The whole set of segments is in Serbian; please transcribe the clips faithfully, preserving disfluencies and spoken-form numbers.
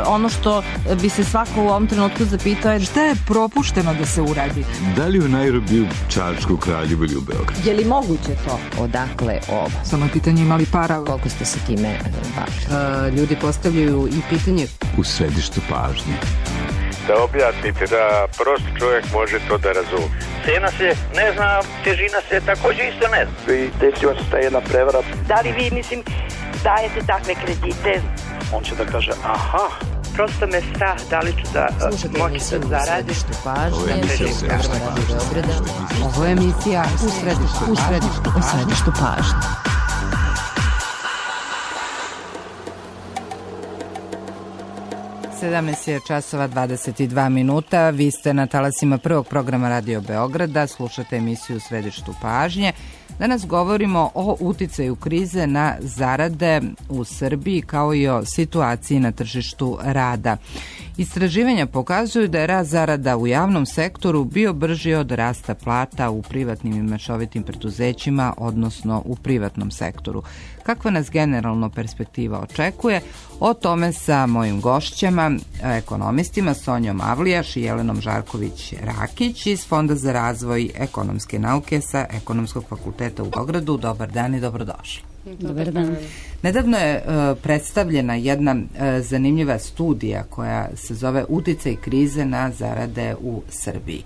ono što bi se svako u ovom trenutku zapitao je šta je propušteno da se uradi? Da li u Nairobiju, Čačku, Kraljevu ili u Beogradu? Je li moguće to? Odakle ovo? Samo je pitanje imali para. Koliko ste se time bavili? Ljudi postavljaju i pitanje u središtu pažnje. Da objasnite, da prosti čovjek može to da razumije. Cena se ne zna, težina se također isto ne zna. I desila se ta jedna prevara. Da li vi, mislim, dajete takve kredite? On će da kaže, aha. Prosto me strah da li ću da moći da zaradim. Ovo je emisija u središtu pažnje. Ovo je emisija u središtu, u središtu, u središtu pažnje. sedamnaest je časova dvadeset dva minuta. Vi ste na talasima prvog programa Radio Beograda, slušate emisiju u središtu pažnje. Danas govorimo o uticaju krize na zarade u Srbiji kao i o situaciji na tržištu rada. Istraživanja pokazuju da je rast zarada u javnom sektoru bio brži od rasta plata u privatnim i mešovitim preduzećima, odnosno u privatnom sektoru. Kakva nas generalno perspektiva očekuje? O tome sa mojim gošćama, ekonomistima Sonjom Avlijaš i Jelenom Žarković-Rakić iz Fonda za razvoj ekonomske nauke sa Ekonomskog fakulteta u Beogradu. Dobar dan i dobrodošli. Dobar dan. Nedavno je uh, predstavljena jedna uh, zanimljiva studija koja se zove Uticaj krize na zarade u Srbiji.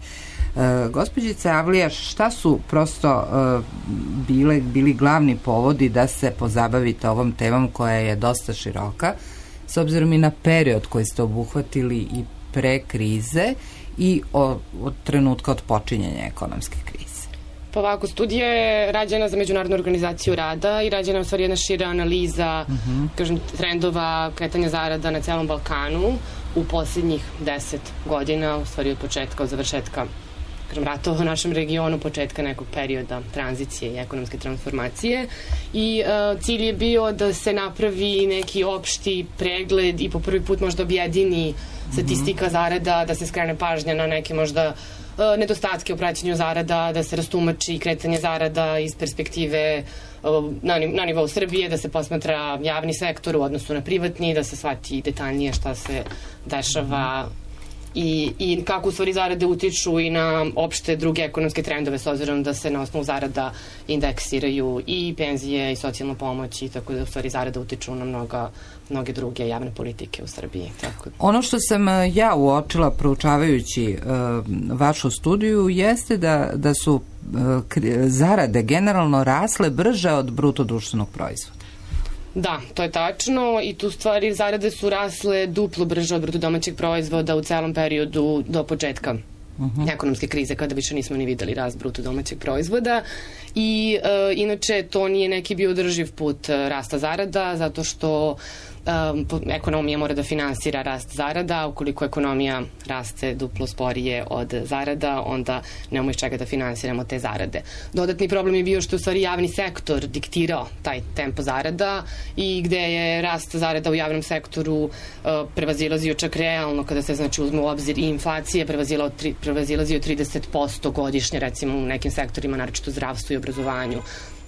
Uh, gospođice Avlijaš, šta su prosto uh, bile, bili glavni povodi da se pozabavite ovom temom koja je dosta široka, s obzirom i na period koji ste obuhvatili i pre krize i o, od trenutka od počinjenja ekonomske krize? Pa ovako, studija je rađena za Međunarodnu organizaciju rada i rađena je u stvari jedna šira analiza uh-huh. kažem, trendova kretanja zarada na celom Balkanu u posljednjih deset godina, u stvari od početka, od završetka kažem, ratova u našem regionu, početka nekog perioda tranzicije i ekonomske transformacije i uh, cilj je bio da se napravi neki opšti pregled i po prvi put možda objedini statistika zarada, da se skrene pažnja na neke možda nedostatke u praćenju zarada, da se rastumači kretanje zarada iz perspektive na, na nivou Srbije, da se posmatra javni sektor u odnosu na privatni, da se shvati detaljnije šta se dešava i, i kako u stvari zarade utiču i na opšte druge ekonomske trendove, s obzirom da se na osnovu zarada indeksiraju i penzije i socijalna pomoć i tako da u stvari zarada utiču na mnoga mnoge druge javne politike u Srbiji. Tako. Ono što sam ja uočila proučavajući uh, vašu studiju jeste da, da su uh, zarade generalno rasle brže od bruto društvenog proizvoda. Da, to je tačno i tu stvari zarade su rasle duplo brže od bruto domaćeg proizvoda u celom periodu do početka Uh-huh. ekonomske krize, kada više nismo ni videli rast bruto domaćeg proizvoda i e, inače to nije neki bio održiv put rasta zarada, zato što um, ekonomija mora da finansira rast zarada, ukoliko ekonomija raste duplo sporije od zarada, onda nemamo iz čega da finansiramo te zarade. Dodatni problem je bio što je u stvari javni sektor diktirao taj tempo zarada i gde je rast zarada u javnom sektoru uh, prevazilazio čak realno, kada se znači uzme u obzir i inflacija, prevazilazio trideset posto godišnje, recimo u nekim sektorima, naročito u zdravstvu i obrazovanju,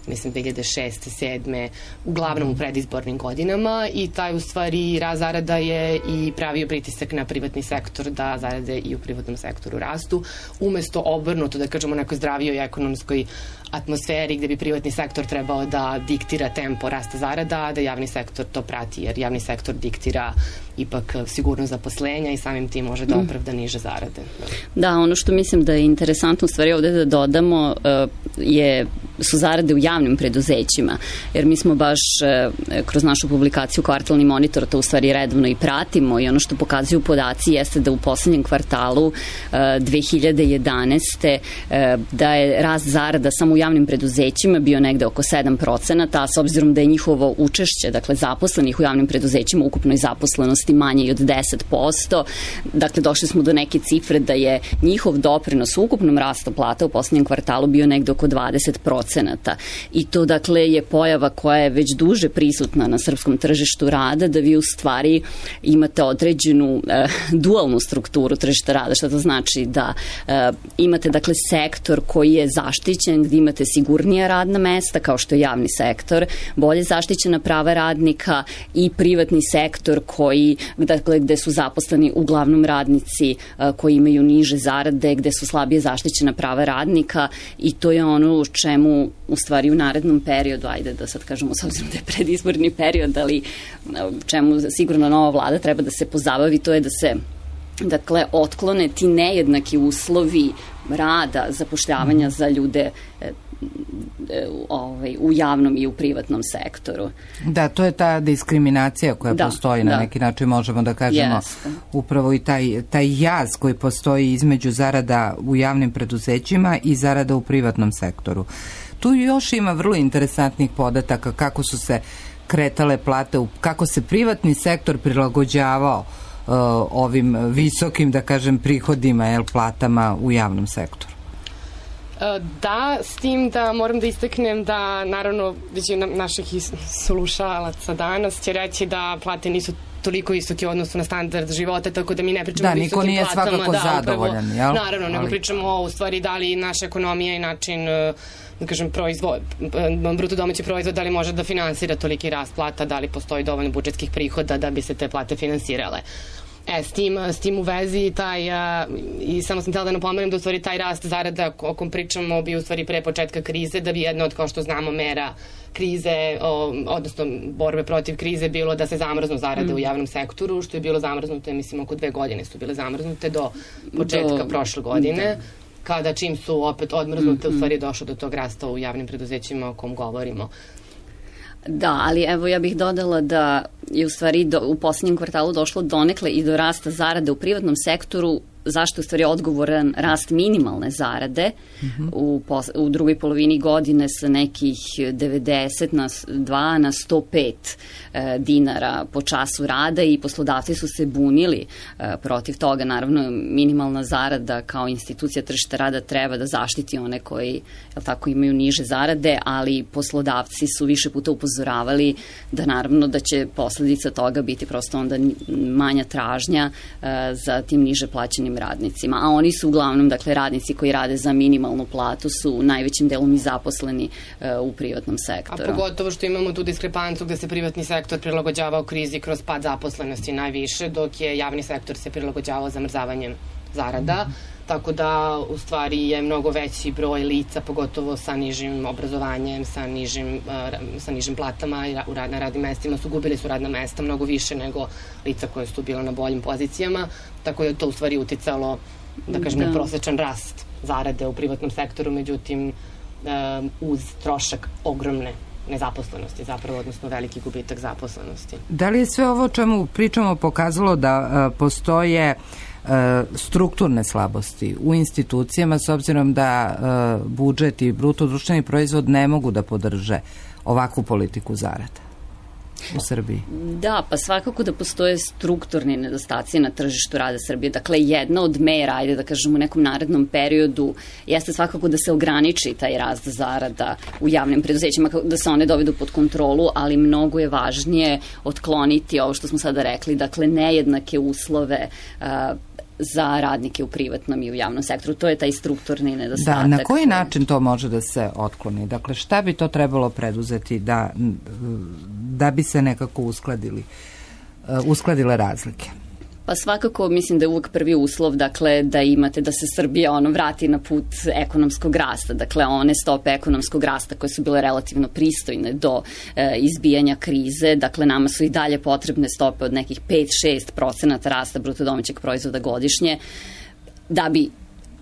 mislim dve hiljade šeste, sedme, uglavnom u predizbornim godinama i taj u stvari rast zarada je i pravio pritisak na privatni sektor da zarade i u privatnom sektoru rastu, umesto obrnuto, da kažemo, nekoj zdravijoj ekonomskoj atmosferi gde bi privatni sektor trebao da diktira tempo rasta zarada, a da javni sektor to prati, jer javni sektor diktira ipak sigurnost zaposlenja i samim tim može da opravda niže zarade. Da, ono što mislim da je interesantno u stvari ovde da dodamo je, su zarade u javnim preduzećima, jer mi smo baš kroz našu publikaciju Kvartalni monitor to u stvari redovno i pratimo i ono što pokazuju podaci jeste da u poslednjem kvartalu dve hiljade jedanaeste da je rast zarada samo u javnim preduzećima bio negde oko sedam procenata, a s obzirom da je njihovo učešće, dakle zaposlenih u javnim preduzećima u ukupnoj zaposlenosti manje i od deset posto, dakle došli smo do neke cifre da je njihov doprinos u ukupnom rastu plata u poslednjem kvartalu bio negde oko dvadeset procenata procenata. I to dakle je pojava koja je već duže prisutna na srpskom tržištu rada, da vi u stvari imate određenu e, dualnu strukturu tržišta rada, što to znači da e, imate dakle sektor koji je zaštićen, gdje imate sigurnija radna mesta kao što je javni sektor, bolje zaštićena prava radnika, i privatni sektor koji, dakle, gde su zaposleni uglavnom radnici a, koji imaju niže zarade, gde su slabije zaštićena prava radnika, i to je ono u čemu u stvari u narednom periodu, ajde da sad kažemo s obzirom da je predizborni period, ali čemu sigurno nova vlada treba da se pozabavi, to je da se dakle otklone ti nejednaki uslovi rada, zapošljavanja za ljude e, Ovaj, u javnom i u privatnom sektoru. Da, to je ta diskriminacija koja da, postoji na da. neki način, možemo da kažemo, yes. upravo i taj, taj jaz koji postoji između zarada u javnim preduzećima i zarada u privatnom sektoru. Tu još ima vrlo interesantnih podataka kako su se kretale plate, kako se privatni sektor prilagođavao uh, ovim visokim, da kažem, prihodima, jel, platama u javnom sektoru. Da, s tim da moram da istaknem da naravno većina naših slušalaca danas će reći da plate nisu toliko visoke u odnosu na standard života, tako da mi ne pričamo da, o visokim nije platama. Da, niko nije svakako zadovoljan, jel? Naravno, nego ali... pričamo o, u stvari da li naša ekonomija i način, da kažem, proizvod, bruto domaći proizvod, da li može da finansira toliki rast plata, da li postoji dovoljno budžetskih prihoda da bi se te plate finansirale. E, s tim, s tim u vezi taj, a, i samo sam htjela da napomenem da u stvari taj rast zarada o kom pričamo bi u stvari pre početka krize, da bi jedna od, kao što znamo, mera krize, o, odnosno borbe protiv krize bilo da se zamrznu zarade mm. u javnom sektoru, što je bilo zamrznute, mislim, oko dve godine su bile zamrznute do početka do... prošle godine. Da. Kada čim su opet odmrznute, mm-hmm. u stvari je došlo do tog rasta u javnim preduzećima o kom govorimo. Da, ali evo ja bih dodala da je u stvari do, u posljednjem kvartalu došlo donekle i do rasta zarade u privatnom sektoru, zašto je u stvari odgovoran rast minimalne zarade mm-hmm. u, pos, u drugoj polovini godine sa nekih devedeset na dva na sto pet e, dinara po času rada, i poslodavci su se bunili e, protiv toga. Naravno, minimalna zarada kao institucija tržišta rada treba da zaštiti one koji, jel tako, imaju niže zarade, ali poslodavci su više puta upozoravali da naravno da će posledica toga biti prosto onda manja tražnja e, za tim niže plaćenim radnicima, a oni su uglavnom, dakle, radnici koji rade za minimalnu platu su najvećim delom i zaposleni uh, u privatnom sektoru. A pogotovo što imamo tu diskrepancu gde se privatni sektor prilagođavao krizi kroz pad zaposlenosti najviše, dok je javni sektor se prilagođavao zamrzavanjem zarada, mm-hmm. tako da u stvari je mnogo veći broj lica, pogotovo sa nižim obrazovanjem, sa nižim, uh, sa nižim platama i u rad, na radnim mestima su gubili su radna mesta mnogo više nego lica koje su bila na boljim pozicijama, tako da je to u stvari uticalo, da kažem, da. na prosečan rast zarade u privatnom sektoru, međutim um, uz trošak ogromne nezaposlenosti, zapravo, odnosno veliki gubitak zaposlenosti. Da li je sve ovo o čemu pričamo pokazalo da uh, postoje uh, strukturne slabosti u institucijama, s obzirom da uh, budžet i bruto društveni proizvod ne mogu da podrže ovakvu politiku zarada u Srbiji? Da, pa svakako da postoje strukturni nedostaci na tržištu rada Srbije. Dakle, jedna od mera, ajde da kažem, u nekom narednom periodu jeste svakako da se ograniči taj rast zarada u javnim preduzećima, da se one dovedu pod kontrolu, ali mnogo je važnije otkloniti ovo što smo sada rekli, dakle, nejednake uslove uh, za radnike u privatnom i u javnom sektoru. To je taj strukturni nedostatak. Da, na koji način to može da se otkloni? Dakle, šta bi to trebalo preduzeti da, da bi se nekako uskladili, uskladile razlike? Pa svakako mislim da je uvek prvi uslov, dakle, da imate, da se Srbija ono vrati na put ekonomskog rasta, dakle one stope ekonomskog rasta koje su bile relativno pristojne do e, izbijanja krize, dakle nama su i dalje potrebne stope od nekih pet do šest procenata rasta bruto domaćeg proizvoda godišnje da bi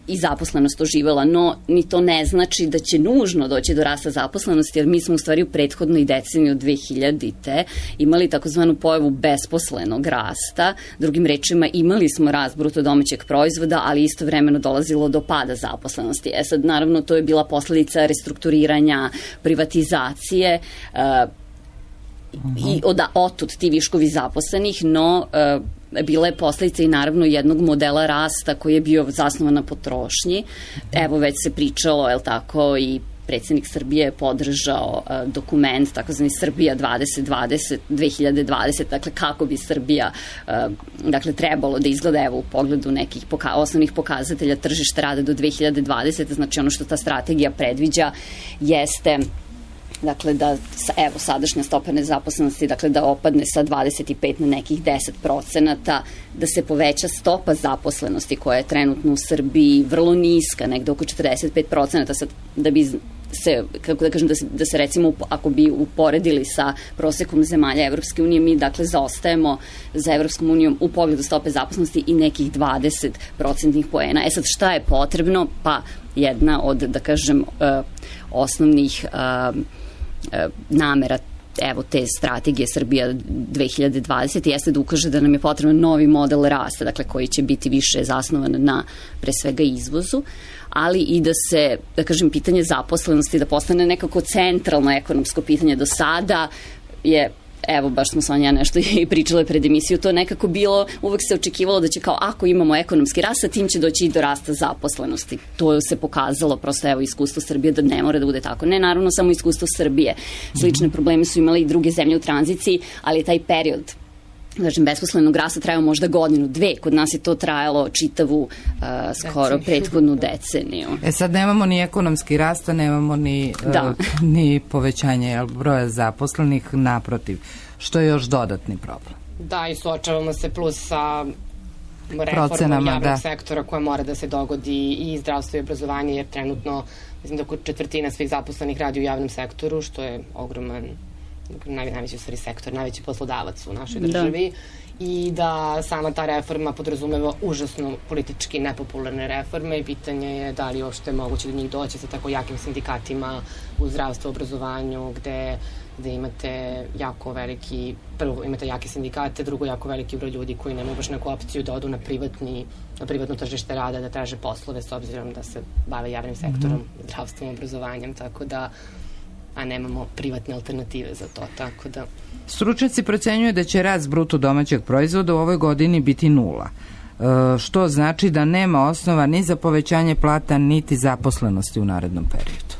i zaposlenost oživela, no ni to ne znači da će nužno doći do rasta zaposlenosti, jer mi smo u stvari u prethodnoj deceniji od dve hiljadite imali takozvanu pojavu besposlenog rasta, drugim rečima imali smo rast bruto domaćeg proizvoda, ali istovremeno dolazilo do pada zaposlenosti. E sad, naravno, to je bila posledica restrukturiranja, privatizacije, uh, uh-huh. i od, otud ti viškovi zaposlenih, no uh, bila je posledica i naravno jednog modela rasta koji je bio zasnovan na potrošnji. Evo, već se pričalo, je li tako, i predsjednik Srbije je podržao uh, dokument takozvani Srbija dvadeset dvadeset, dve hiljade dvadeset, dakle kako bi Srbija uh, dakle trebalo da izgleda evo u pogledu nekih poka osnovnih pokazatelja tržišta rada do dve hiljade dvadesete. Znači ono što ta strategija predviđa jeste dakle da, evo, sadašnja stopa nezaposlenosti, dakle da opadne sa dvadeset pet na nekih deset procenata, da se poveća stopa zaposlenosti koja je trenutno u Srbiji vrlo niska, negde oko četrdeset pet procenata, sad da bi se, kako da kažem, da se, da se recimo, ako bi uporedili sa prosekom zemalja Evropske unije, mi dakle zaostajemo za Evropskom unijom u pogledu stope zaposlenosti i nekih dvadeset procentnih poena. E sad, šta je potrebno? Pa jedna od, da kažem, uh, osnovnih uh, namera evo te strategije Srbija dve hiljade dvadesete jeste da ukaže da nam je potreban novi model rasta, dakle koji će biti više zasnovan na pre svega izvozu, ali i da se, da kažem, pitanje zaposlenosti da postane nekako centralno ekonomsko pitanje. Do sada je, evo, baš smo Sonja nešto i pričale pred emisiju, to nekako bilo, uvek se očekivalo da će kao ako imamo ekonomski rast, sa tim će doći i do rasta zaposlenosti. To se pokazalo, prosto evo iskustvo Srbije da ne mora da bude tako. Ne, naravno, samo iskustvo Srbije. Slične probleme su imali i druge zemlje u tranziciji, ali taj period znači, besposlenog rasta trajao možda godinu, dve. Kod nas je to trajalo čitavu uh, skoro prethodnu deceniju. E sad nemamo ni ekonomski rasta, nemamo ni, uh, ni povećanje broja zaposlenih, naprotiv, što je još dodatni problem. Da, i suočavamo se plus sa reformom javnog da. sektora koja mora da se dogodi i zdravstvo i obrazovanje, jer trenutno, mislim da oko četvrtina svih zaposlenih radi u javnom sektoru, što je ogroman Naj, najveći u stvari sektor, najveći poslodavac u našoj državi da. I da sama ta reforma podrazumeva užasno politički nepopularne reforme i pitanje je da li uopšte je moguće do njih doći sa tako jakim sindikatima u zdravstvu, obrazovanju, gde, gde imate jako veliki, prvo imate jake sindikate, drugo jako veliki broj ljudi koji nemaju baš neku opciju da odu na privatni, na privatno tržište rada, da traže poslove s obzirom da se bave javnim sektorom, mm-hmm. zdravstvom, obrazovanjem, tako da a nemamo privatne alternative za to, tako da... Stručnjaci procenjuju da će rast bruto domaćeg proizvoda u ovoj godini biti nula, e, što znači da nema osnova ni za povećanje plata, niti zaposlenosti u narednom periodu.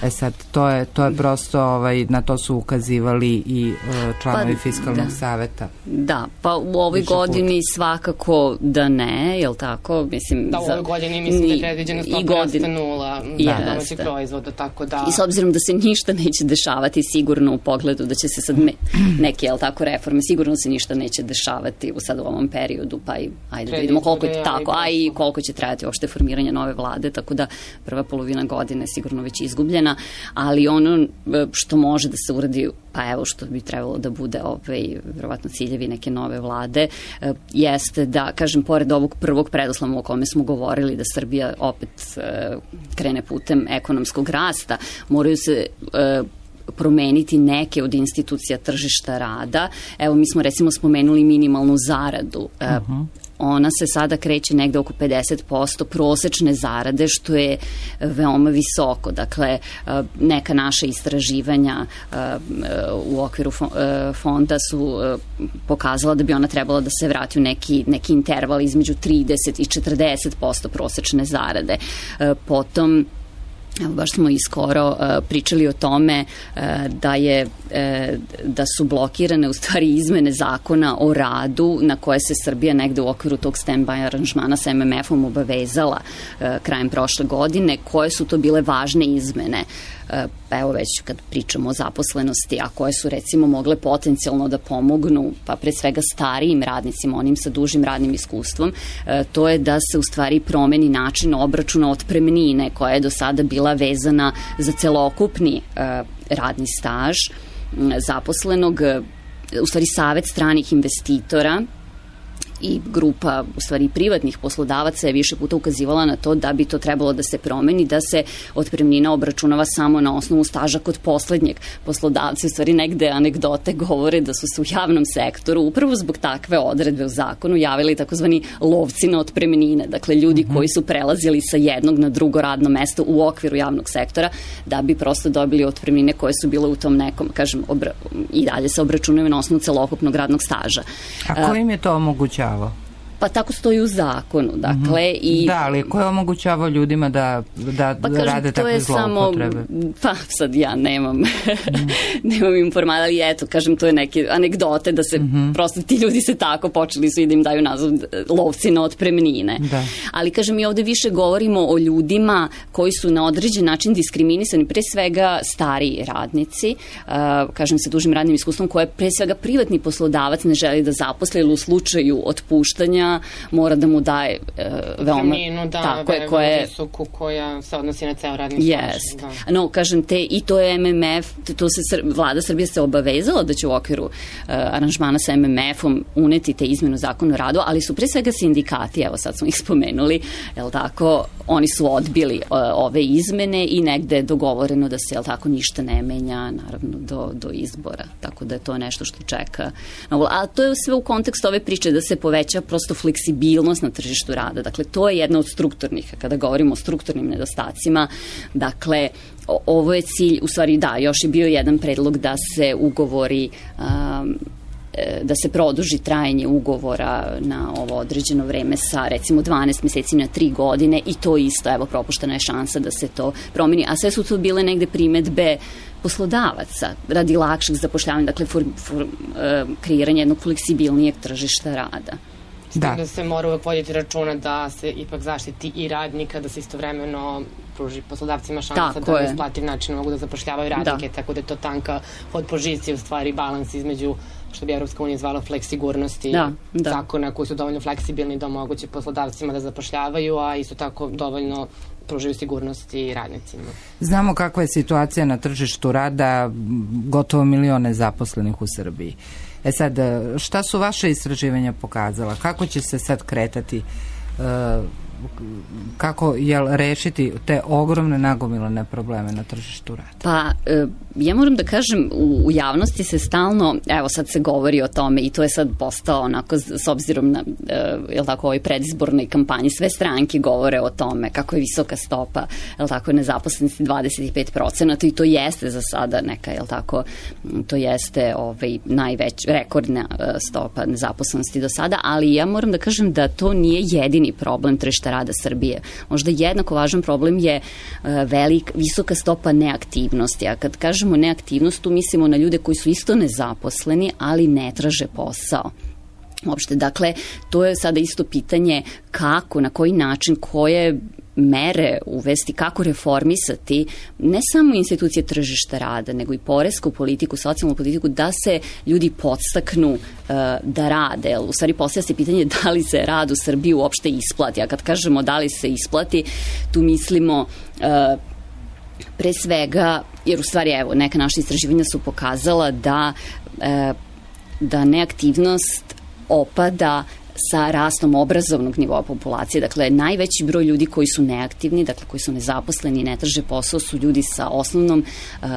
E sad, to je, to je prosto, ovaj, na to su ukazivali i e, članovi pa, Fiskalnog da. saveta. Da, pa u ovoj Više godini puta. svakako da ne, je li tako? Mislim, da, u ovoj godini mislim ni, da je predviđena stopa rasta nula domaćeg proizvoda, tako da... I s obzirom da se ništa neće dešavati sigurno u pogledu da će se sad me, neke, je li tako, reforme, sigurno se ništa neće dešavati u sad u ovom periodu, pa i ajde da vidimo koliko je tako, a i koliko će trajati uopšte formiranje nove vlade, tako da prva polovina godine je sigurno već izgubljena. Ali ono što može da se uradi, pa evo što bi trebalo da bude ovaj, verovatno ciljevi neke nove vlade, jeste da, kažem, pored ovog prvog predoslova o kome smo govorili, da Srbija opet krene putem ekonomskog rasta, moraju se promeniti neke od institucija tržišta rada. Evo, mi smo recimo spomenuli minimalnu zaradu. Uh-huh. Ona se sada kreće negde oko pedeset posto prosečne zarade, što je veoma visoko. Dakle, neka naša istraživanja u okviru fonda su pokazala da bi ona trebala da se vrati u neki, neki interval između trideset i četrdeset posto prosečne zarade. Potom, evo, baš smo i skoro uh, pričali o tome uh, da je uh, da su blokirane u stvari izmene zakona o radu na koje se Srbija negde u okviru tog stand-by aranžmana sa em em efom obavezala uh, krajem prošle godine. Koje su to bile važne izmene? Pa evo već kad pričamo o zaposlenosti, a koje su recimo mogle potencijalno da pomognu, pa pre svega starijim radnicima, onim sa dužim radnim iskustvom, to je da se u stvari promeni način obračuna otpremnine koja je do sada bila vezana za celokupni radni staž zaposlenog. U stvari Savet stranih investitora i grupa, u stvari privatnih poslodavaca je više puta ukazivala na to da bi to trebalo da se promeni, da se otpremnina obračunava samo na osnovu staža kod poslednjeg poslodavca. U stvari negde anegdote govore da su se u javnom sektoru upravo zbog takve odredbe u zakonu javili takozvani lovci na otpremnine, dakle ljudi mm-hmm. koji su prelazili sa jednog na drugo radno mesto u okviru javnog sektora da bi prosto dobili otpremnine koje su bile u tom nekom, kažem, obra- i dalje se obračunaju na osnovu celokupnog radnog staža. A ko im je to omogućavao? Pa tako stoji u zakonu, dakle. Mm-hmm. I, da, ali ko je omogućavao ljudima da, da, pa, da kažem, rade takve zloupotrebe? Samo, pa sad ja nemam, mm. nemam informacija, ali eto, kažem, to je neke anegdote da se mm-hmm. prosto ti ljudi se tako počeli su i da im daju naziv lovci na otpremnine. Da. Ali kažem, mi ovde više govorimo o ljudima koji su na određen način diskriminisani, pre svega stariji radnici, uh, kažem sa dužim radnim iskustvom, koje pre svega privatni poslodavac ne želi da zaposle, ili u slučaju otpuštanja mora da mu daje uh, veoma... Terminu, da, tako je, koje, visoku koja se odnosi na ceo radni yes. staž. Da. No, kažem te, i to je M M F, to se, vlada Srbije se obavezala da će u okviru uh, aranžmana sa M M F-om uneti te izmenu zakona o radu, ali su pre svega sindikati, evo sad smo ih spomenuli, jel tako, oni su odbili uh, ove izmene i negde je dogovoreno da se, jel tako, ništa ne menja, naravno, do, do izbora, tako da je to nešto što čeka. A to je sve u kontekstu ove priče da se poveća prosto fleksibilnost na tržištu rada. Dakle, to je jedna od strukturnih, kada govorimo o strukturnim nedostacima, dakle, o, ovo je cilj, u stvari da, još je bio jedan predlog da se ugovori um, da se produži trajanje ugovora na ovo određeno vreme sa recimo dvanaest meseci na tri godine i to isto, evo, propuštena je šansa da se to promeni, a sve su to bile negde primetbe poslodavaca radi lakšeg zapošljavanja, dakle for, for, uh, kreiranje jednog fleksibilnijeg tržišta rada. Da. da se mora uvek voditi računa da se ipak zaštiti i radnika, da se istovremeno pruži poslodavcima šansa tako da na isplativ način mogu da zapošljavaju radnike, da. Tako da je to tanka od pozicije, u stvari balans između, što bi Evropska unija zvala flekssigurnosti, da, da. zakona koji su dovoljno fleksibilni da omoguće poslodavcima da zapošljavaju, a isto tako dovoljno pružaju sigurnosti radnicima. Znamo kakva je situacija na tržištu rada, gotovo milione zaposlenih u Srbiji. E sad, šta su vaše istraživanja pokazala? Kako će se sad kretati, uh, kako jel rešiti te ogromne nagomilane probleme na tržištu rada? Pa, ja moram da kažem, u, u javnosti se stalno, evo sad se govori o tome i to je sad postao onako s obzirom na, jel tako, ovoj predizbornoj kampanji, sve stranke govore o tome kako je visoka stopa, jel tako, nezaposlenosti dvadeset pet procenata i to jeste za sada neka, jel tako, to jeste ovaj, najveć, rekordna stopa nezaposlenosti do sada, ali ja moram da kažem da to nije jedini problem tržišta rada Srbije. Možda jednako važan problem je uh, velik, visoka stopa neaktivnosti, a kad kažemo neaktivnost, tu mislimo na ljude koji su isto nezaposleni, ali ne traže posao. Uopšte, dakle, to je sada isto pitanje kako, na koji način, koje mere uvesti, kako reformisati ne samo institucije tržišta rada, nego i poresku politiku, socijalnu politiku, da se ljudi podstaknu uh, da rade. U stvari postavlja se pitanje da li se rad u Srbiji uopšte isplati. A kad kažemo da li se isplati, tu mislimo uh, pre svega, jer u stvari, evo, neka naša istraživanja su pokazala da, uh, da neaktivnost opada sa rastom obrazovnog nivoa populacije. Dakle, najveći broj ljudi koji su neaktivni, dakle koji su nezaposleni i ne traže posao, su ljudi sa osnovnom uh,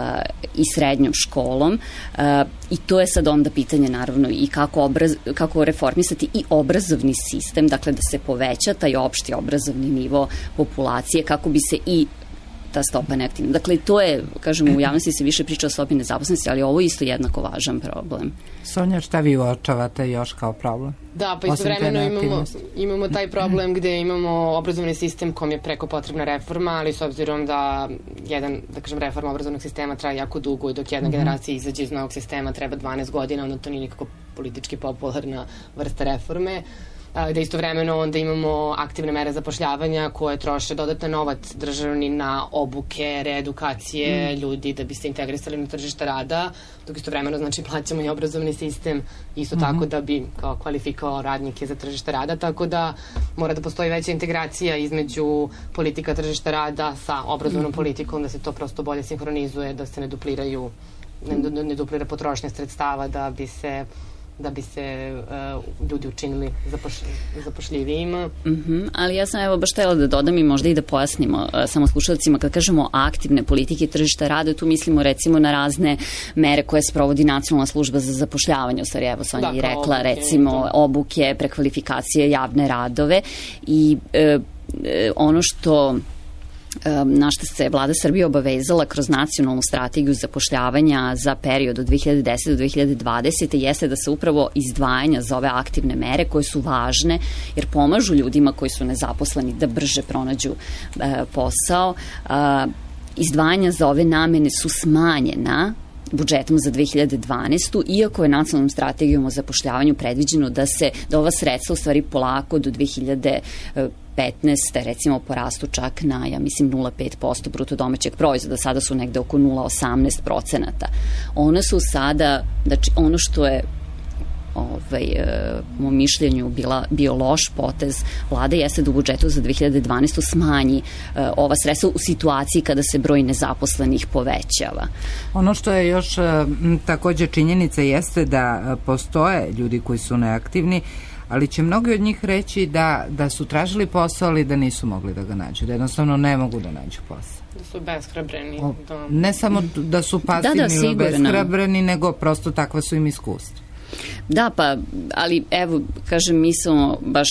i srednjom školom uh, i to je sad onda pitanje naravno i kako, obraz, kako reformisati i obrazovni sistem, dakle da se poveća taj opšti obrazovni nivo populacije, kako bi se i ta stopa neaktivna. Dakle, to je, kažemo, u javnosti se više priča o stopi nezaposlenosti, ali ovo je isto jednako važan problem. Sonja, šta vi uočavate još kao problem? Da, pa istovremeno imamo, imamo taj problem gde imamo obrazovni sistem kom je preko potrebna reforma, ali s obzirom da jedan, da kažem, reforma obrazovnog sistema traje jako dugo i dok jedna mm-hmm. generacija izađe iz novog sistema treba dvanaest godina, onda to nije nikako politički popularna vrsta reforme. Da istovremeno onda imamo aktivne mere zapošljavanja koje troše dodatan novac državni na obuke, reedukacije mm. ljudi da bi se integrisali na tržište rada, dok istovremeno znači plaćamo i obrazovni sistem isto mm-hmm. tako da bi kao kvalifikovao radnike za tržište rada, tako da mora da postoji veća integracija između politika tržišta rada sa obrazovnom mm-hmm. politikom, da se to prosto bolje sinhronizuje, da se ne dupliraju ne, ne duplira potrošnja sredstava, da bi se da bi se uh, ljudi učinili zapoš, zapošljivijima. Mm-hmm, ali ja sam evo baš htjela da dodam i možda i da pojasnimo uh, samo slušalcima, kad kažemo aktivne politike tržišta rada, tu mislimo recimo na razne mere koje sprovodi Nacionalna služba za zapošljavanje, u stvari evo Sonja i rekla, obuke, recimo to. obuke, prekvalifikacije, javne radove i uh, uh, ono što na što se vlada Srbije obavezala kroz nacionalnu strategiju zapošljavanja za period od dve hiljade desete do dve hiljade dvadesete jeste da se upravo izdvajanja za ove aktivne mere koje su važne jer pomažu ljudima koji su nezaposleni da brže pronađu e, posao. E, izdvajanja za ove namene su smanjena budžetom za dve hiljade dvanaestu, iako je nacionalnom strategijom o zapošljavanju predviđeno da se da ova sredstva u stvari polako do dve hiljade petnaeste recimo porastu čak na, ja mislim, nula zarez pet posto bruto domaćeg proizvoda, sada su negde oko nula zarez osamnaest procenata. One su sada, znači ono što je ovaj, po mom mišljenju bila, bio loš potez vlade jeste da u budžetu za dve hiljade dvanaestu smanji uh, ova sredstva u situaciji kada se broj nezaposlenih povećava. Ono što je još m, takođe činjenica jeste da postoje ljudi koji su neaktivni, ali će mnogi od njih reći da, da su tražili posao, ali da nisu mogli da ga nađu, da jednostavno ne mogu da nađu posao. Da su beshrabreni. Da. Ne samo da su pasivni da, da, ili beshrabreni, nego prosto takva su im iskustva. Da, pa, ali evo, kažem, mi smo, baš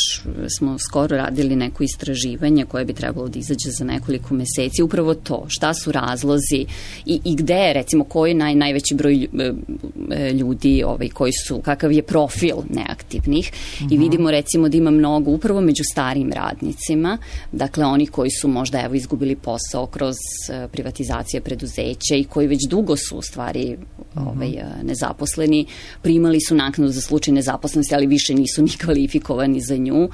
smo skoro radili neko istraživanje koje bi trebalo da izađe za nekoliko meseci, upravo to, šta su razlozi i, i gde je, recimo, koji je naj, najveći broj ljudi ovaj, koji su, kakav je profil neaktivnih uh-huh. i vidimo, recimo, da ima mnogo upravo među starijim radnicima, dakle, oni koji su možda, evo, izgubili posao kroz privatizacije preduzeća i koji već dugo su, u stvari, uh-huh. ovaj, nezaposleni, primali su naknadu za slučaj nezaposlenosti, ali više nisu ni kvalifikovani za nju. Uh,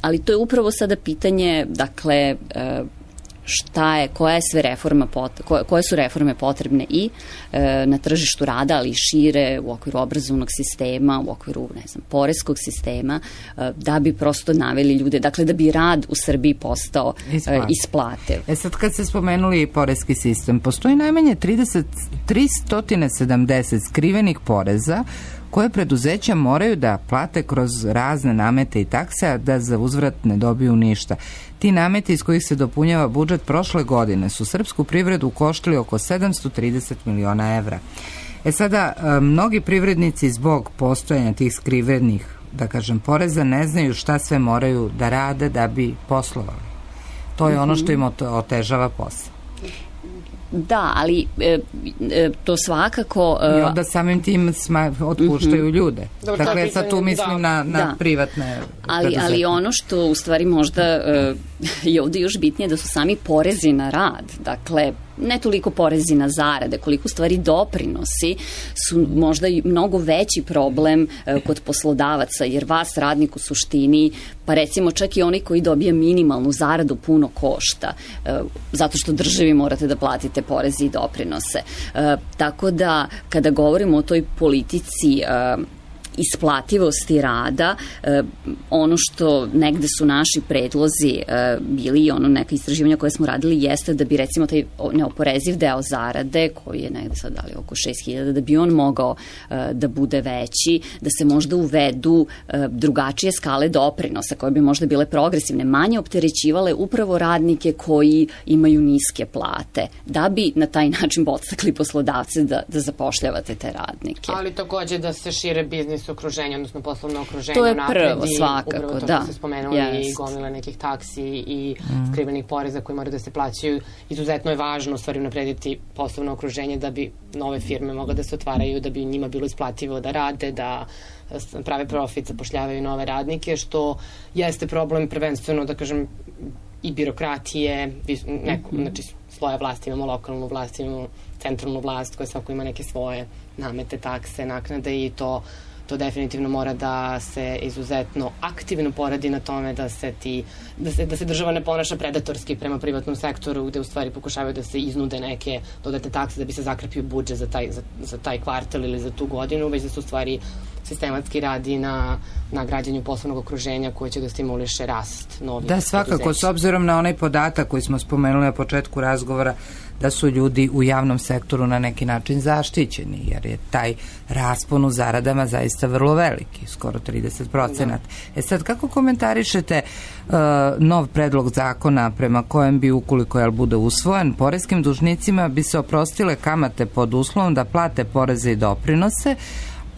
ali to je upravo sada pitanje, dakle, uh, šta je, koja je sve reforma, pot, koje, koje su reforme potrebne i e, na tržištu rada, ali i šire u okviru obrazovnog sistema, u okviru, ne znam, poreskog sistema, e, da bi prosto naveli ljude, dakle da bi rad u Srbiji postao e, isplativ. E sad kad ste spomenuli poreski sistem, postoji najmanje tristo sedamdeset skrivenih poreza koje preduzeća moraju da plate kroz razne namete i takse, a da za uzvrat ne dobiju ništa. Ti nameti iz kojih se dopunjava budžet prošle godine su srpsku privredu koštili oko sedamsto trideset miliona evra. E sada, mnogi privrednici zbog postojanja tih skrivenih, da kažem, poreza ne znaju šta sve moraju da rade da bi poslovali. To je ono što im otežava posao. Da, ali e, e, to svakako... E, I onda samim tim sma, otpuštaju uh-huh. ljude. Dobro, dakle, sad tu mislim da. na, na da. privatne... Ali, ali ono što u stvari možda e, je ovde još bitnije da su sami porezi na rad. Dakle, ne toliko porezi na zarade, koliko u stvari doprinosi su možda i mnogo veći problem e, kod poslodavaca, jer vas radnik u suštini, pa recimo čak i oni koji dobija minimalnu zaradu puno košta, e, zato što državi morate da platite porezi i doprinose. E, tako da kada govorimo o toj politici e, isplativosti rada, e, ono što negde su naši predlozi e, bili, ono neka istraživanja koje smo radili jeste da bi recimo taj neoporeziv deo zarade, koji je negde sad dali oko šest hiljada, da bi on mogao e, da bude veći, da se možda uvedu e, drugačije skale doprinosa koje bi možda bile progresivne, manje opterećivale upravo radnike koji imaju niske plate, da bi na taj način podstakli poslodavce da, da zapošljavate te radnike. Ali takođe da se šire biznis okruženje, odnosno poslovno okruženje. To je prvo, svakako, upravo to da. Se spomenuli yes. i gomila nekih taksi i mm. skrivenih poreza koji moraju da se plaćaju. Izuzetno je važno u stvari naprediti poslovno okruženje da bi nove firme mogle da se otvaraju, da bi njima bilo isplativo da rade, da prave profit, zapošljavaju nove radnike, što jeste problem prvenstveno, da kažem, i birokratije, neko, mm-hmm. znači sloja vlasti, imamo lokalnu vlast, imamo centralnu vlast koja svako ima neke svoje namete, takse, naknade i to to definitivno mora da se izuzetno aktivno poradi na tome da se ti da se, da se država ne ponaša predatorski prema privatnom sektoru, gde u stvari pokušavaju da se iznude neke dodatne takse da bi se zakrpio budžet za taj, za, za taj kvartal ili za tu godinu, već da se u stvari sistematski radi na, na građenju poslovnog okruženja koje će da stimuliše rast novih. Da, svakako, preduzeća. S obzirom na onaj podatak koji smo spomenuli na početku razgovora, da su ljudi u javnom sektoru na neki način zaštićeni, jer je taj raspon u zaradama zaista vrlo veliki, skoro trideset procenata. Da. E sad, kako komentarišete uh, nov predlog zakona prema kojem bi, ukoliko jel bude usvojen, poreskim dužnicima bi se oprostile kamate pod uslovom da plate poreze i doprinose,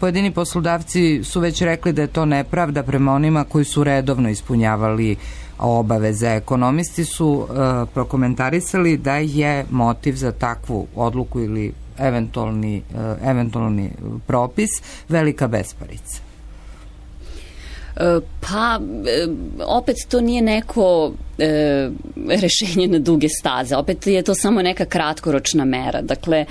pojedini poslodavci su već rekli da je to nepravda prema onima koji su redovno ispunjavali obaveze. Ekonomisti su uh, prokomentarisali da je motiv za takvu odluku ili eventualni, uh, eventualni propis velika besparica. Pa, opet to nije neko e, rešenje na duge staze, opet je to samo neka kratkoročna mera. Dakle,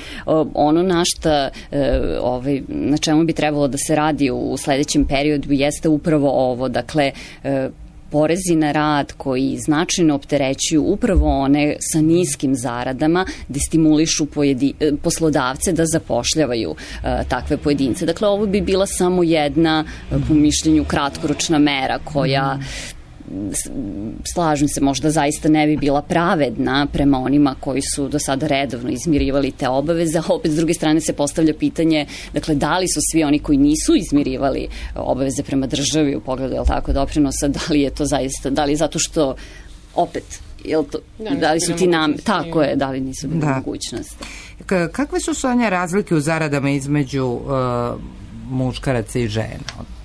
ono na šta, e, ovaj, na čemu bi trebalo da se radi u sledećem periodu jeste upravo ovo, dakle, e, porezi na rad koji značajno opterećuju upravo one sa niskim zaradama, da stimulišu pojedi, poslodavce da zapošljavaju uh, takve pojedince. Dakle, ovo bi bila samo jedna, po mišljenju, kratkoročna mera koja, slažem se, možda zaista ne bi bila pravedna prema onima koji su do sada redovno izmirivali te obaveze, a opet s druge strane se postavlja pitanje, dakle, da li su svi oni koji nisu izmirivali obaveze prema državi u pogledu, je li tako, doprinosa, da li je to zaista, da li zato što opet, je li to, da, da li su ti nam, tako je, da li nisu bili da. mogućnosti. K- kakve su Sonja razlike u zaradama između uh, muškaraca i žena?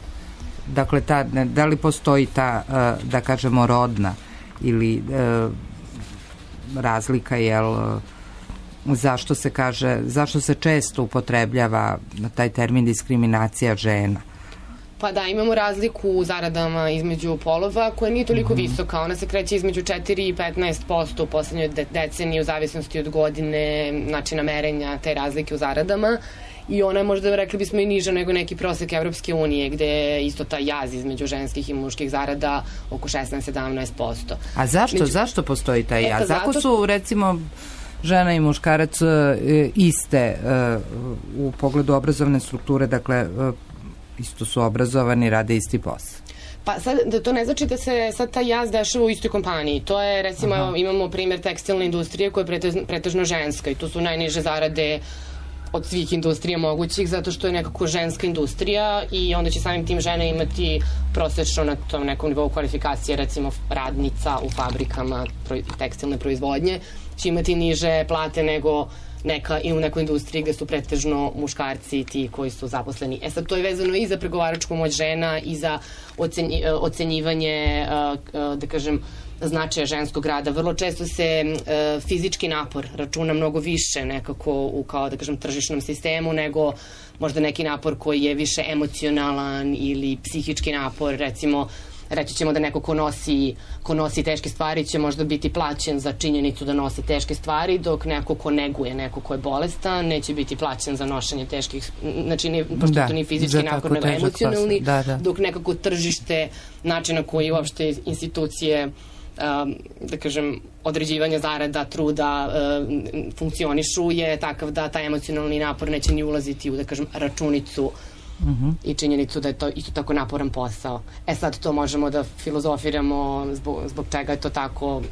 Dakle, ta, da li postoji ta, da kažemo, rodna ili razlika, jel, zašto se kaže, zašto se često upotrebljava taj termin diskriminacija žena? Pa da, imamo razliku u zaradama između polova koja nije toliko mm-hmm. visoka. Ona se kreće između četiri i petnaest posto u poslednjoj de- deceniji u zavisnosti od godine, načina merenja te razlike u zaradama. I ona je možda, rekli bismo, i niža nego neki prosek Evropske unije, gde je isto ta jaz između ženskih i muških zarada oko šesnaest do sedamnaest posto. A zašto? Među... Zašto postoji taj jaz? E, pa zato... Ako su, recimo, žena i muškarac iste u pogledu obrazovne strukture, dakle, isto su obrazovani, rade isti posao. Pa sad, da to ne znači da se sad taj jaz dešava u istoj kompaniji. To je, recimo, Aha. imamo primjer tekstilne industrije koja je pretežno, pretežno ženska i tu su najniže zarade od svih industrija mogućih, zato što je nekako ženska industrija i onda će samim tim žene imati prosečno na tom nekom nivou kvalifikacije, recimo radnica u fabrikama tekstilne proizvodnje, će imati niže plate nego neka i u nekoj industriji gde su pretežno muškarci ti koji su zaposleni. E sad, to je vezano i za pregovaračku moć žena i za ocenj, ocenjivanje, da kažem, značaja ženskog rada. Vrlo često se e, fizički napor računa mnogo više nekako u, kao da kažem, tržišnom sistemu nego možda neki napor koji je više emocionalan ili psihički napor. Recimo, reći ćemo da neko ko nosi, ko nosi teške stvari će možda biti plaćen za činjenicu da nosi teške stvari, dok neko ko neguje, neko ko je bolestan, neće biti plaćen za nošenje teških, znači ne, pošto da, to nije fizički napor, nego emocionalni, da, da. Dok nekako tržište, načina koji uopšte institucije Um, da kažem, određivanja zarada, truda um, funkcionišu je takav da taj emocionalni napor neće ni ulaziti u, da kažem, računicu uh-huh. i činjenicu da je to isto tako naporan posao. E sad to možemo da filozofiramo zbog, zbog čega je to tako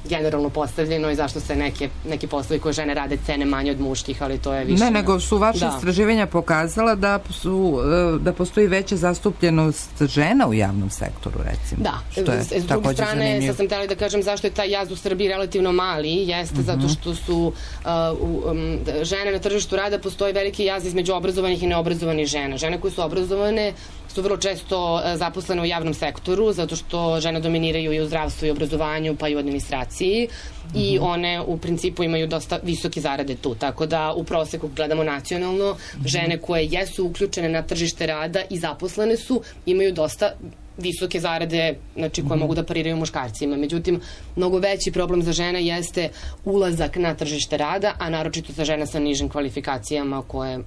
generalno postavljeno i zašto se neke, neki poslovi koje žene rade cene manje od muških, ali to je više... Ne, nego su vaše da. istraživanja pokazala da, su, da postoji veća zastupljenost žena u javnom sektoru, recimo. Da, što je s druge strane, sad sam htjela da kažem zašto je taj jaz u Srbiji relativno mali, jeste uh-huh. zato što su uh, um, žene na tržištu rada, postoji veliki jaz između obrazovanih i neobrazovanih žena. Žene koje su obrazovane su vrlo često zaposlene u javnom sektoru, zato što žene dominiraju i u zdravstvu i obrazovanju, pa i u administraciji mm-hmm. i one u principu imaju dosta visoke zarade tu, tako da u proseku gledamo nacionalno, mm-hmm. žene koje jesu uključene na tržište rada i zaposlene su, imaju dosta visoke zarade, znači koje mm-hmm. mogu da pariraju muškarcima. Međutim, mnogo veći problem za žene jeste ulazak na tržište rada, a naročito za žene sa nižim kvalifikacijama koje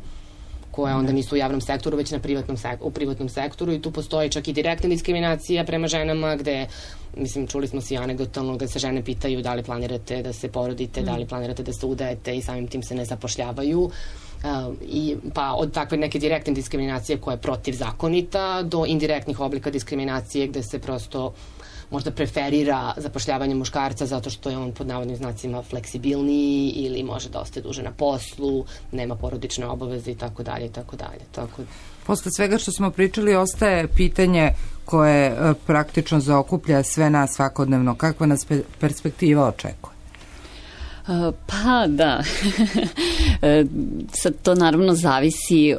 koje onda nisu u javnom sektoru, već na privatnom sek- u privatnom sektoru i tu postoji čak i direktna diskriminacija prema ženama gde, mislim, čuli smo svi anegdotalno gde se žene pitaju da li planirate da se porodite, mm. da li planirate da se udajete i samim tim se ne zapošljavaju. Uh, i, pa od takve neke direktne diskriminacije koja je protivzakonita do indirektnih oblika diskriminacije gde se prosto možda preferira zapošljavanje muškarca zato što je on pod navodnim znacima fleksibilniji ili može da ostaje duže na poslu, nema porodične obaveze i tako dalje i tako dalje. Tako... Posle svega što smo pričali ostaje pitanje koje e, praktično zaokuplja sve nas svakodnevno. Kakva nas pe- perspektiva očekuje? Pa da, sad to naravno zavisi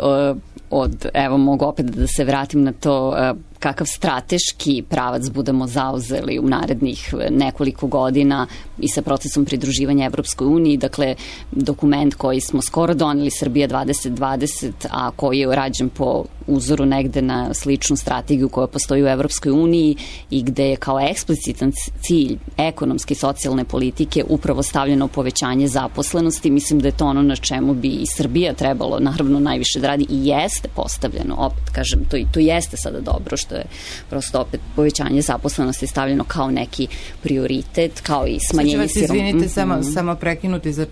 od, evo mogu opet da se vratim na to kakav strateški pravac budemo zauzeli u narednih nekoliko godina i sa procesom pridruživanja Evropskoj uniji. Dakle, dokument koji smo skoro doneli, Srbija dvadeset dvadeset, a koji je rađen po uzoru negde na sličnu strategiju koja postoji u Evropskoj uniji i gde je kao eksplicitan cilj ekonomske i socijalne politike upravo stavljeno povećanje zaposlenosti. Mislim da je to ono na čemu bi i Srbija trebalo naravno najviše da radi i jeste postavljeno. Opet kažem, to, to jeste sada dobro što je prosto opet povećanje zaposlenosti stavljeno kao neki prioritet, kao i smanjenje siromaštva. Izvinite, mm-hmm. samo, samo prekinuti za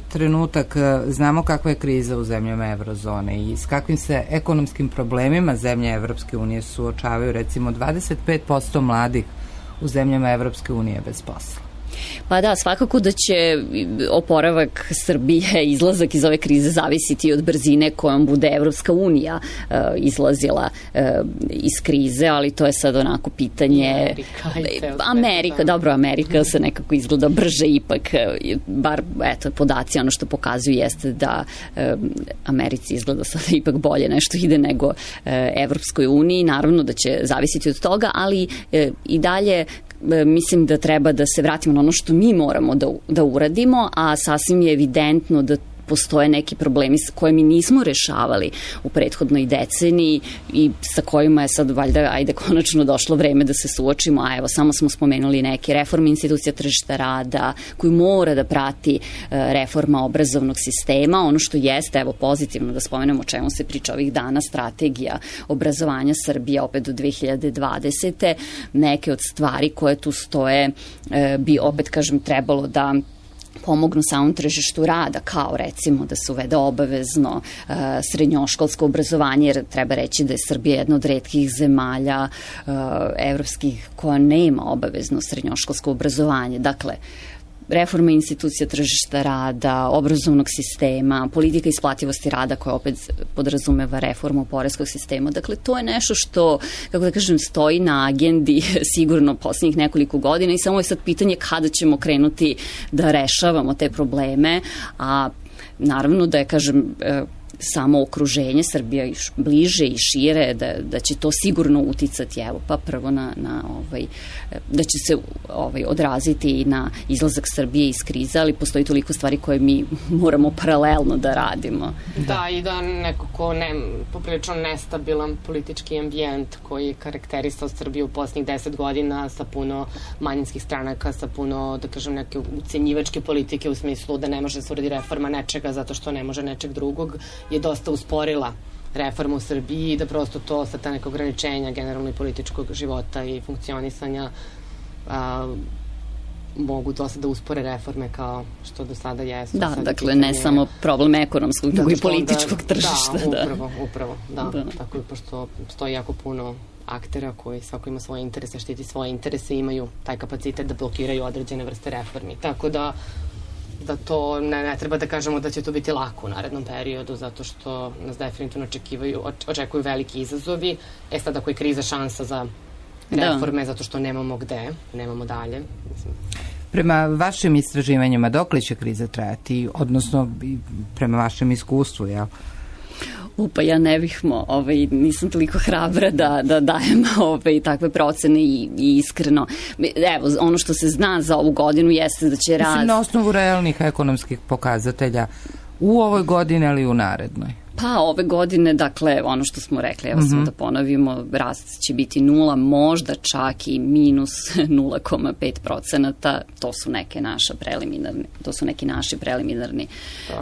trenutak. Znamo kakva je kriza u zemljama Evrozone i s kakvim se ekonomskim problemima zemlje Evropske unije suočavaju. Recimo dvadeset pet posto mladih u zemljama Evropske unije bez posla. Pa da, svakako da će oporavak Srbije, izlazak iz ove krize zavisiti od brzine kojom bude Evropska unija uh, izlazila uh, iz krize, ali to je sad onako pitanje... Amerika, Amerika dobro, Amerika se nekako izgleda brže ipak, bar eto, podaci, ono što pokazuju jeste da uh, Americi izgleda sada ipak bolje nešto ide nego uh, Evropskoj uniji, naravno da će zavisiti od toga, ali uh, i dalje mislim da treba da se vratimo na ono što mi moramo da, da uradimo, a sasvim je evidentno da postoje neki problemi koje mi nismo rešavali u prethodnoj deceniji i sa kojima je sad valjda, ajde, konačno došlo vreme da se suočimo, a evo, samo smo spomenuli neke reforme institucija tržišta rada koju mora da prati reforma obrazovnog sistema. Ono što jeste, evo, pozitivno da spomenemo o čemu se priča ovih dana, strategija obrazovanja Srbije opet do dve hiljade dvadesete. Neke od stvari koje tu stoje bi, opet kažem, trebalo da pomognu samom tržištu rada, kao recimo da se uvede obavezno uh, srednjoškolsko obrazovanje, jer treba reći da je Srbija jedna od retkih zemalja uh, evropskih koja nema obavezno srednjoškolsko obrazovanje. Dakle, reforma institucija tržišta rada, obrazovnog sistema, politika isplativosti rada koja opet podrazumeva reformu poreskog sistema. Dakle, to je nešto što, kako da kažem, stoji na agendi sigurno poslednjih nekoliko godina i samo je sad pitanje kada ćemo krenuti da rešavamo te probleme, a naravno da je, kažem, samo okruženje Srbija još bliže i šire, da, da će to sigurno uticati, evo, pa prvo na, na ovaj, da će se ovaj, odraziti i na izlazak Srbije iz krize, ali postoji toliko stvari koje mi moramo paralelno da radimo. Da, i da nekako ne, poprilično nestabilan politički ambijent koji je karakterisao Srbiju u posljednjih deset godina sa puno manjinskih stranaka, sa puno, da kažem, neke ucenjivačke politike u smislu da ne može da se uradi reforma nečega zato što ne može nečeg drugog, je dosta usporila reformu u Srbiji i da prosto to sa ta neka ograničenja generalno i političkog života i funkcionisanja a, mogu dosta da uspore reforme kao što do sada jesu. Da, sad dakle, ne samo problem ekonomskog, nego i političkog onda, tržišta. Da, upravo, da. upravo, da. da. Tako je, pošto stoji jako puno aktera koji svako ima svoje interese, štiti svoje interese i imaju taj kapacitet da blokiraju određene vrste reformi. Tako da da to ne, ne treba da kažemo da će to biti lako u narednom periodu, zato što nas definitivno očekivaju, očekuju veliki izazovi. E sad, ako je kriza šansa za reforme, da. Zato što nemamo gde, nemamo dalje. Mislim. Prema vašim istraživanjima, dokle će kriza trajati, odnosno prema vašem iskustvu, jel? Upa, ja ne bih mo, ovaj, nisam toliko hrabra da, da dajem ovaj, takve procene i, i iskreno. Evo, ono što se zna za ovu godinu jeste da će raz... Mislim, na osnovu realnih ekonomskih pokazatelja u ovoj godini, ali i u narednoj. Pa ove godine, dakle, ono što smo rekli, evo mm-hmm. samo da ponovimo, rast će biti nula, možda čak i minus nula zarez pet procenata, to su neke naša preliminarni, to su neki naši preliminarni uh,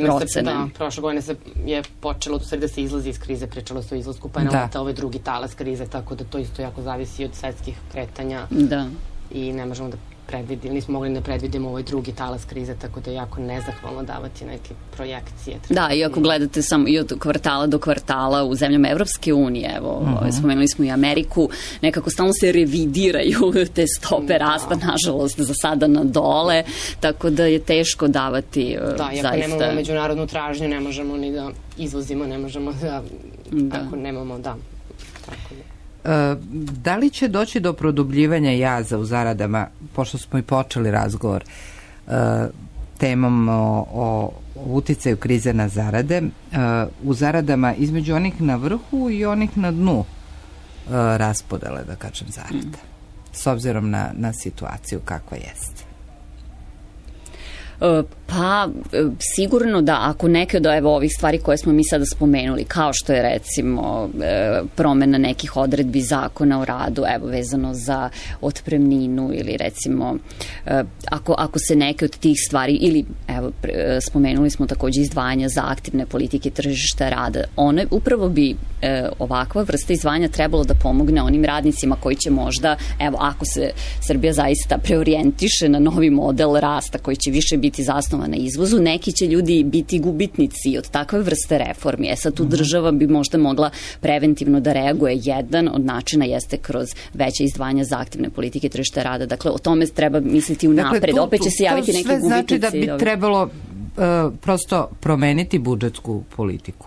procene. Da, prošle godine se je počelo do da se izlazi iz krize, pričalo se o izlasku, pa je nam da. Ovaj drugi talas krize, tako da to isto jako zavisi od svetskih kretanja. Da. I ne možemo da predvidimo, nismo mogli da predvidimo ovaj drugi talas krize, tako da je jako nezahvalno davati neke projekcije. Da, i ako gledate samo i od kvartala do kvartala u zemljama Evropske unije, evo, uh-huh. spomenuli smo i Ameriku, nekako stalno se revidiraju te stope da. Rasta, nažalost, za sada na dole, tako da je teško davati da, zaista. Da, i ako nemamo međunarodnu tražnju, ne možemo ni da izvozimo, ne možemo da, da. Ako nemamo, da, tako da. Da li će doći do produbljivanja jaza u zaradama, pošto smo i počeli razgovor, temom o, o uticaju krize na zarade. U zaradama između onih na vrhu i onih na dnu raspodele, da kažem, zarada. S obzirom na, na situaciju kakva jeste. Pa, sigurno da ako neke od evo, ovih stvari koje smo mi sada spomenuli, kao što je recimo promena nekih odredbi zakona o radu, evo vezano za otpremninu ili recimo ako, ako se neke od tih stvari, ili evo spomenuli smo takođe izdvajanja za aktivne politike tržišta rada, one upravo bi ovakva vrsta izdvajanja trebalo da pomogne onim radnicima koji će možda, evo ako se Srbija zaista preorijentiše na novi model rasta koji će više biti zasnovan na izvozu, neki će ljudi biti gubitnici od takve vrste reformi. E sad tu država bi možda mogla preventivno da reaguje. Jedan od načina jeste kroz veće izdvajanja za aktivne politike tržišta rada. Dakle, o tome treba misliti unapred. Dakle, tu, Opet će se javiti neki gubitnici. To sve znači da bi trebalo uh, prosto promeniti budžetsku politiku.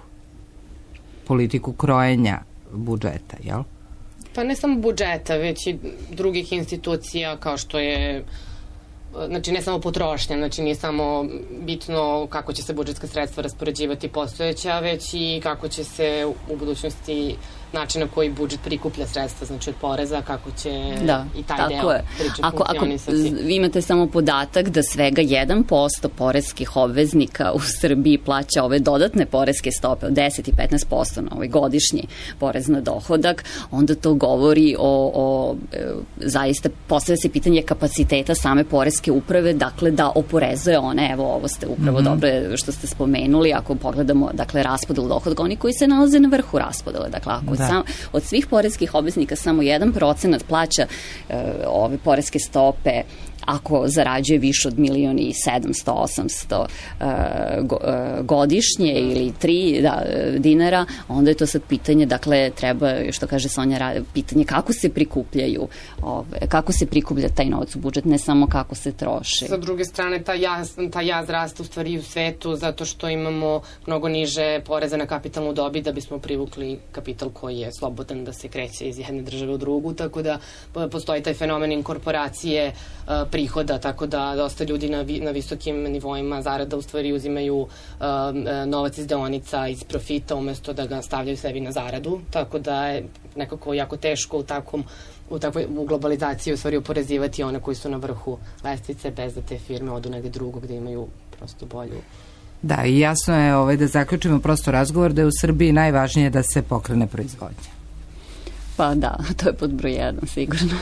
Politiku krojenja budžeta, jel? Pa ne samo budžeta, već i drugih institucija kao što je znači ne samo potrošnja, znači nije samo bitno kako će se budžetska sredstva raspoređivati postojeća, već i kako će se u budućnosti način na koji budžet prikuplja sredstva, znači od poreza, kako će da, i taj deo priče funkcionisati. Ako vi imate samo podatak da svega jedan posto poreskih obveznika u Srbiji plaća ove dodatne poreske stope od deset i petnaest posto na ovaj godišnji porez na dohodak, onda to govori o, o e, zaista postavlja se pitanje kapaciteta same poreske uprave, dakle da oporezuje one, evo ovo ste upravo mm-hmm. dobro što ste spomenuli, ako pogledamo dakle raspodelu dohodka, oni koji se nalaze na vrhu raspodele, dakle ako da. Sam, od svih poreskih obveznika samo jedan procenat plaća e, ove poreske stope ako zarađuje više od milion i sedamsto, osamsto uh, go, uh, godišnje ili tri da, dinara, onda je to sad pitanje, dakle, treba, što kaže Sonja, pitanje kako se prikupljaju, ove, kako se prikuplja taj novac u budžet, ne samo kako se troši. Sa druge strane, ta jaz, ta jaz raste u stvari u svetu zato što imamo mnogo niže poreze na kapitalnu dobit da bismo privukli kapital koji je slobodan da se kreće iz jedne države u drugu, tako da postoji taj fenomen inkorporacije uh, prihoda, tako da dosta ljudi na, vi, na visokim nivoima zarada u stvari uzimaju uh, novac iz deonica, iz profita, umesto da ga stavljaju sebi na zaradu, tako da je nekako jako teško u takvom u takvoj u globalizaciji u stvari oporezivati one koji su na vrhu lestvice bez da te firme odu negde drugo gde imaju prosto bolju. Da, i jasno je ovaj, da zaključimo prosto razgovor da je u Srbiji najvažnije da se pokrene proizvodnja. Pa da, to je pod broj jedan, sigurno.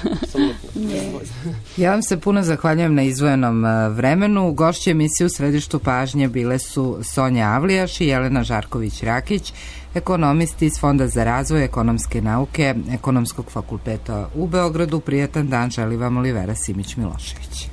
Ja vam se puno zahvaljujem na izdvojenom vremenu. Gošće emisije u središtu pažnje bile su Sonja Avlijaš i Jelena Žarković-Rakić, ekonomisti iz Fonda za razvoj ekonomske nauke Ekonomskog fakulteta u Beogradu. Prijatan dan želi vam Olivera Simić-Milošević.